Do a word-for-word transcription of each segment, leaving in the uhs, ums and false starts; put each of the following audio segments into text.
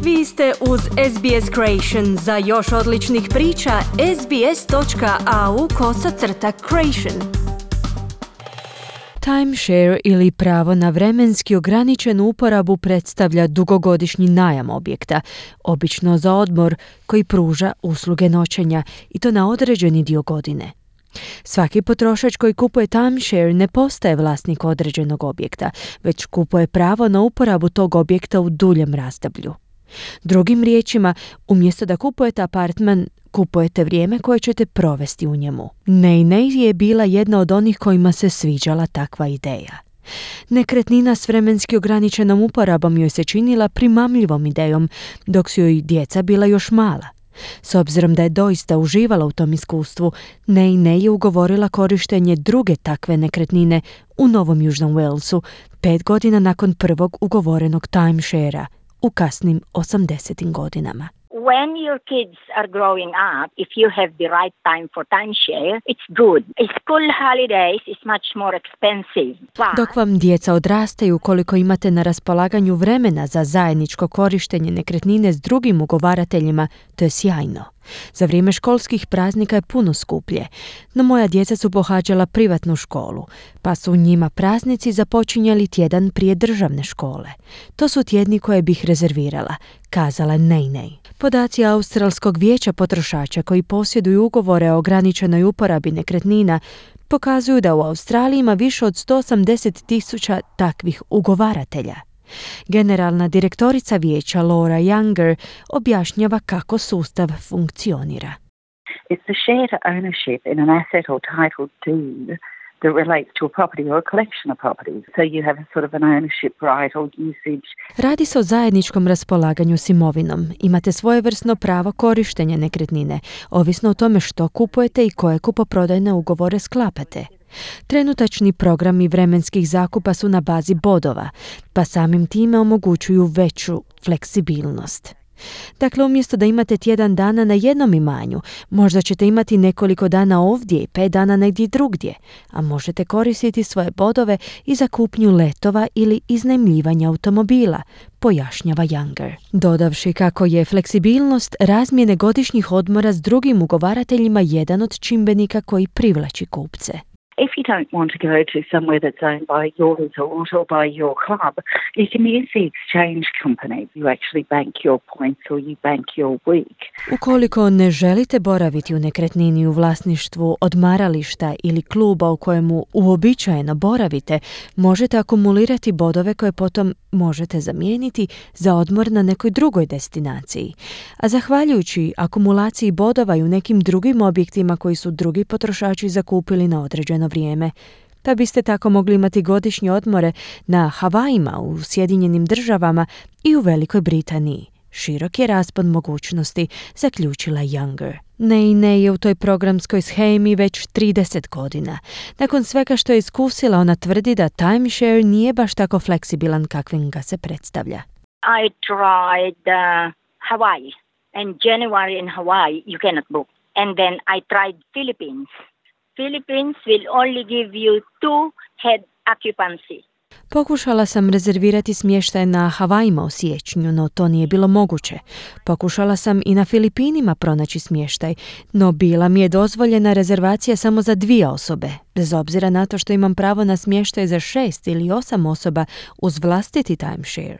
Vi ste uz S B S Creation. Za još odličnih priča, sbs.au kosacrta creation. Timeshare ili pravo na vremenski ograničenu uporabu predstavlja dugogodišnji najam objekta, obično za odmor koji pruža usluge noćenja i to na određeni dio godine. Svaki potrošač koji kupuje timeshare ne postaje vlasnik određenog objekta, već kupuje pravo na uporabu tog objekta u duljem razdoblju. Drugim riječima, umjesto da kupujete apartman, kupujete vrijeme koje ćete provesti u njemu. Nei Nei je bila jedna od onih kojima se sviđala takva ideja. Nekretnina s vremenski ograničenom uporabom joj se činila primamljivom idejom, dok su joj djeca bila još mala. S obzirom da je doista uživala u tom iskustvu, Nei Nei je ugovorila korištenje druge takve nekretnine u Novom Južnom Walesu, pet godina nakon prvog ugovorenog timesharea, u kasnim osamdesetim godinama. When your kids are growing up, if you have the right time for timeshare, it's good. School holidays is much more expensive. But... Dok vam djeca odrastaju, koliko imate na raspolaganju vremena za zajedničko korištenje nekretnine s drugim ugovarateljima, to je sjajno. Za vrijeme školskih praznika je puno skuplje, no moja djeca su pohađala privatnu školu, pa su njima praznici započinjali tjedan prije državne škole. To su tjedni koje bih rezervirala, kazala Nei Nei. Podaci Australskog vijeća potrošača koji posjeduju ugovore o ograničenoj uporabi nekretnina pokazuju da u Australiji ima više od sto osamdeset tisuća takvih ugovaratelja. Generalna direktorica vijeća Laura Younger objašnjava kako sustav funkcionira. It's the shared ownership in an asset or title deed that relates to a property or a collection of properties. So you have a sort of an ownership right or usage. Radi se o zajedničkom raspolaganju s imovinom. Imate svojevrsno pravo korištenja nekretnine, ovisno o tome što kupujete i koje kupoprodajne ugovore sklapate. Trenutačni programi vremenskih zakupa su na bazi bodova, pa samim time omogućuju veću fleksibilnost. Dakle, umjesto da imate tjedan dana na jednom imanju, možda ćete imati nekoliko dana ovdje i pet dana negdje drugdje, a možete koristiti svoje bodove i za kupnju letova ili iznajmljivanja automobila, pojašnjava Younger. Dodavši kako je fleksibilnost razmjene godišnjih odmora s drugim ugovarateljima jedan od čimbenika koji privlači kupce. If you don't want to go to somewhere that's owned by your resort or by your club, you can use the exchange company. You actually bank your points or you bank your week. Ukoliko ne želite boraviti u nekretnini u vlasništvu odmarališta ili kluba u kojemu uobičajeno boravite, možete akumulirati bodove koje potom možete zamijeniti za odmor na nekoj drugoj destinaciji. A zahvaljujući akumulaciji bodova i u nekim drugim objektima koji su drugi potrošači zakupili na određeno vrijeme, pa biste tako mogli imati godišnje odmore na Havajima, u Sjedinjenim državama i u Velikoj Britaniji. Širok je raspon mogućnosti, zaključila Younger. Nei Nei je u toj programskoj shemi već trideset godina. Nakon svega što je iskusila, ona tvrdi da timeshare nije baš tako fleksibilan kakvim ga se predstavlja. I tried uh, Hawaii. And January in Hawaii you cannot book. And then I tried Philippines. Philippines will only give you two head occupancy. Pokušala sam rezervirati smještaj na Havajima u siječnju, no to nije bilo moguće. Pokušala sam i na Filipinima pronaći smještaj, no bila mi je dozvoljena rezervacija samo za dvije osobe, bez obzira na to što imam pravo na smještaj za šest ili osam osoba uz vlastiti timeshare.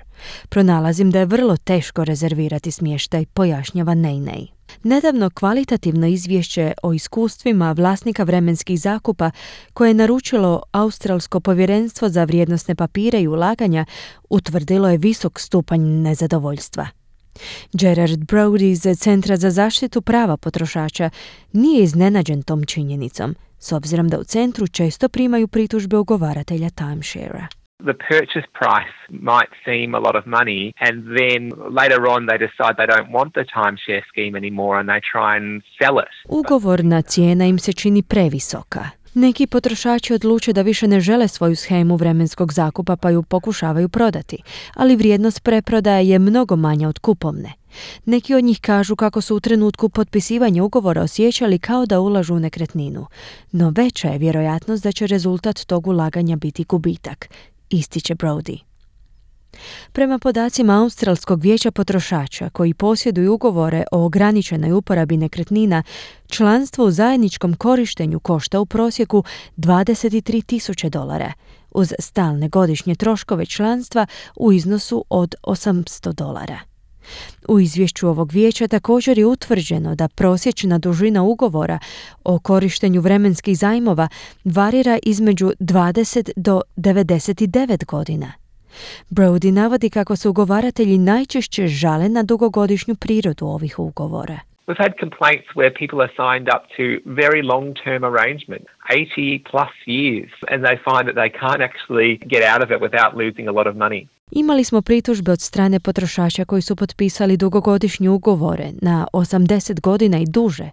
Pronalazim da je vrlo teško rezervirati smještaj, pojašnjava Nei Nei. Nedavno kvalitativno izvješće o iskustvima vlasnika vremenskih zakupa koje je naručilo Australsko povjerenstvo za vrijednosne papire i ulaganja utvrdilo je visok stupanj nezadovoljstva. Gerard Brody iz Centra za zaštitu prava potrošača nije iznenađen tom činjenicom, s obzirom da u centru često primaju pritužbe ugovaratelja timesharea. The purchase price might seem a lot of money, and then later on they decide they don't want the timeshare scheme anymore and they try and sell it. Ugovorna cijena im se čini previsoka. Neki potrošači odluče da više ne žele svoju shemu vremenskog zakupa pa ju pokušavaju prodati, ali vrijednost preprodaje je mnogo manja od kupovne. Neki od njih kažu kako su u trenutku potpisivanja ugovora osjećali kao da ulažu u nekretninu, no veća je vjerojatnost da će rezultat tog ulaganja biti gubitak, ističe Brody. Prema podacima Australskog vijeća potrošača koji posjeduju ugovore o ograničenoj uporabi nekretnina, članstvo u zajedničkom korištenju košta u prosjeku dvadeset tri tisuće dolara, uz stalne godišnje troškove članstva u iznosu od osamsto dolara. U izvješću ovog vijeća također je utvrđeno da prosječna dužina ugovora o korištenju vremenskih zajmova varira između dvadeset do devedeset devet godina. Brody navodi kako se ugovaratelji najčešće žale na dugogodišnju prirodu ovih ugovora. We've had complaints where people are signed up to very long-term arrangements, eighty plus years, and they find that they can't actually get out of it without losing a lot of money. Imali smo pritužbe od strane potrošača koji su potpisali dugogodišnje ugovore na osamdeset godina i duže,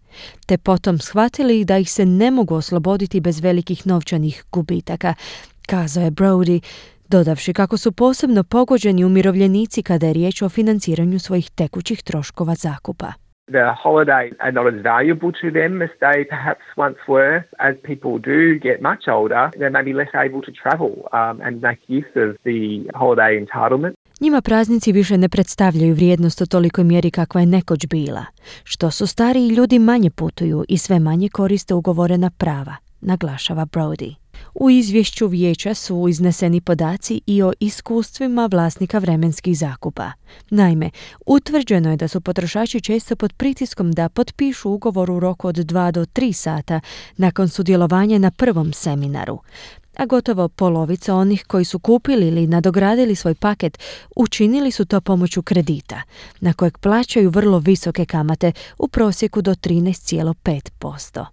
te potom shvatili da ih se ne mogu osloboditi bez velikih novčanih gubitaka, kazao je Brody, dodavši kako su posebno pogođeni umirovljenici kada je riječ o financiranju svojih tekućih troškova zakupa. The holidays are not as valuable to them as they perhaps once were. As people do get much older, they may be less able to travel um, and make use of the holiday entitlement. Njima praznici više ne predstavljaju vrijednost u tolikoj mjeri kakva je nekoć bila. Što su stariji ljudi manje putuju i sve manje koriste ugovorena prava, naglašava Brody. U izvješću vijeća su izneseni podaci i o iskustvima vlasnika vremenskih zakupa. Naime, utvrđeno je da su potrošači često pod pritiskom da potpišu ugovor u roku od dva do tri sata nakon sudjelovanja na prvom seminaru. A gotovo polovica onih koji su kupili ili nadogradili svoj paket učinili su to pomoću kredita, na kojeg plaćaju vrlo visoke kamate u prosjeku do trinaest zarez pet posto.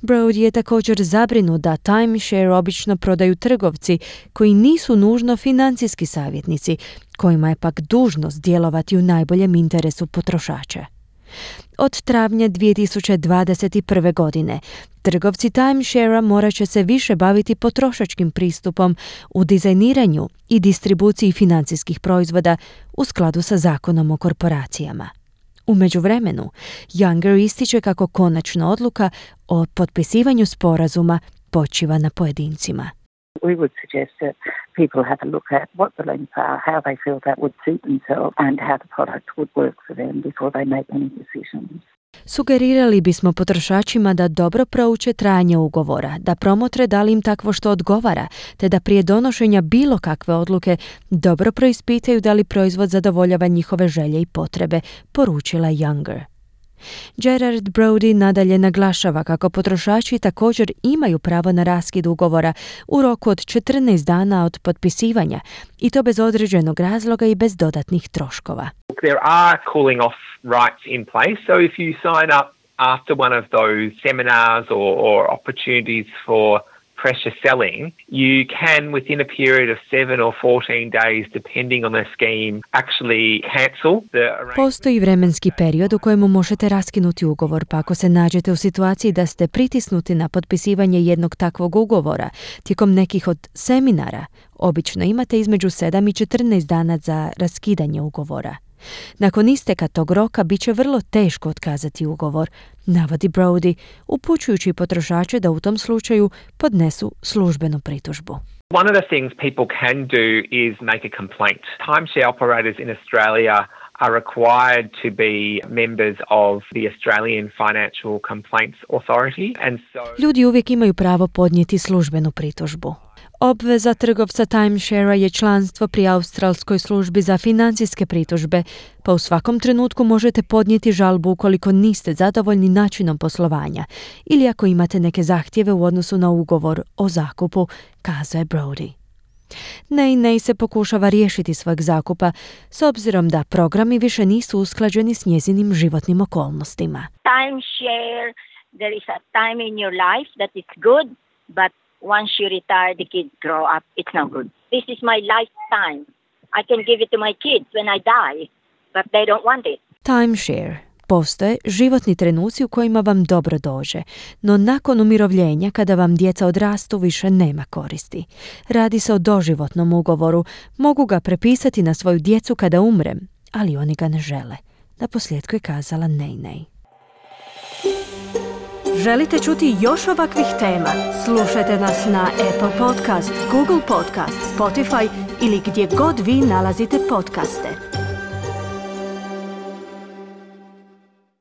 Brody je također zabrinut da timeshare obično prodaju trgovci koji nisu nužno financijski savjetnici, kojima je pak dužnost djelovati u najboljem interesu potrošača. Od travnja dvije tisuće dvadeset prve. godine trgovci timesharea morat će se više baviti potrošačkim pristupom u dizajniranju i distribuciji financijskih proizvoda u skladu sa zakonom o korporacijama. U međuvremenu, Younger ističe kako konačna odluka o potpisivanju sporazuma počiva na pojedincima. We would suggest that people have a look at what the lengths are, how they feel that would suit themselves and how the product would work for them before they make any decisions. Sugerirali bismo potrošačima da dobro prouče trajanje ugovora, da promotre da li im takvo što odgovara, te da prije donošenja bilo kakve odluke dobro preispitaju da li proizvod zadovoljava njihove želje i potrebe, poručila Younger. Gerard Brody nadalje naglašava kako potrošači također imaju pravo na raskid ugovora u roku od četrnaest dana od potpisivanja i to bez određenog razloga i bez dodatnih troškova. There are cooling off rights in place, so if you sign up after one of those seminars or, or opportunities for pressure selling, you can within a period of seven or fourteen days, depending on the scheme, actually cancel the arrangement. Postoji vremenski period u kojemu možete raskinuti ugovor, pa ako se nađete u situaciji da ste pritisnuti na potpisivanje jednog takvog ugovora tijekom nekih od seminara, obično imate između sedam i četrnaest dana za raskidanje ugovora. Nakon isteka tog roka bit će vrlo teško otkazati ugovor, navodi Brody, upućujući potrošače da u tom slučaju podnesu službenu pritužbu. One of the things people can do is make a complaint. Timeshare operators in Australia are required to be members of the Australian Financial Complaints Authority. And so Ljudi uvijek imaju pravo podnijeti službenu pritužbu. Obveza trgovca timesharea je članstvo pri Australskoj službi za financijske pritužbe, pa u svakom trenutku možete podnijeti žalbu ukoliko niste zadovoljni načinom poslovanja ili ako imate neke zahtjeve u odnosu na ugovor o zakupu, kazao je Brody. Nei Nei se pokušava riješiti svojeg zakupa s obzirom da programi više nisu usklađeni s njezinim životnim okolnostima. Timeshare, there is a time in your life that is good, but once you retire, the kids grow up, it's no good. This is my lifetime. I can give it to my kids when I die, but they don't want it. Timeshare. Postoje životni trenuci u kojima vam dobro dođe, no nakon umirovljenja, kada vam djeca odrastu, više nema koristi. Radi se o doživotnom ugovoru, mogu ga prepisati na svoju djecu kada umrem, ali oni ga ne žele. Naposljetku je kazala Nei Nei. Želite čuti još ovakvih tema? Slušajte nas na Apple Podcast, Google Podcast, Spotify ili gdje god vi nalazite podcaste.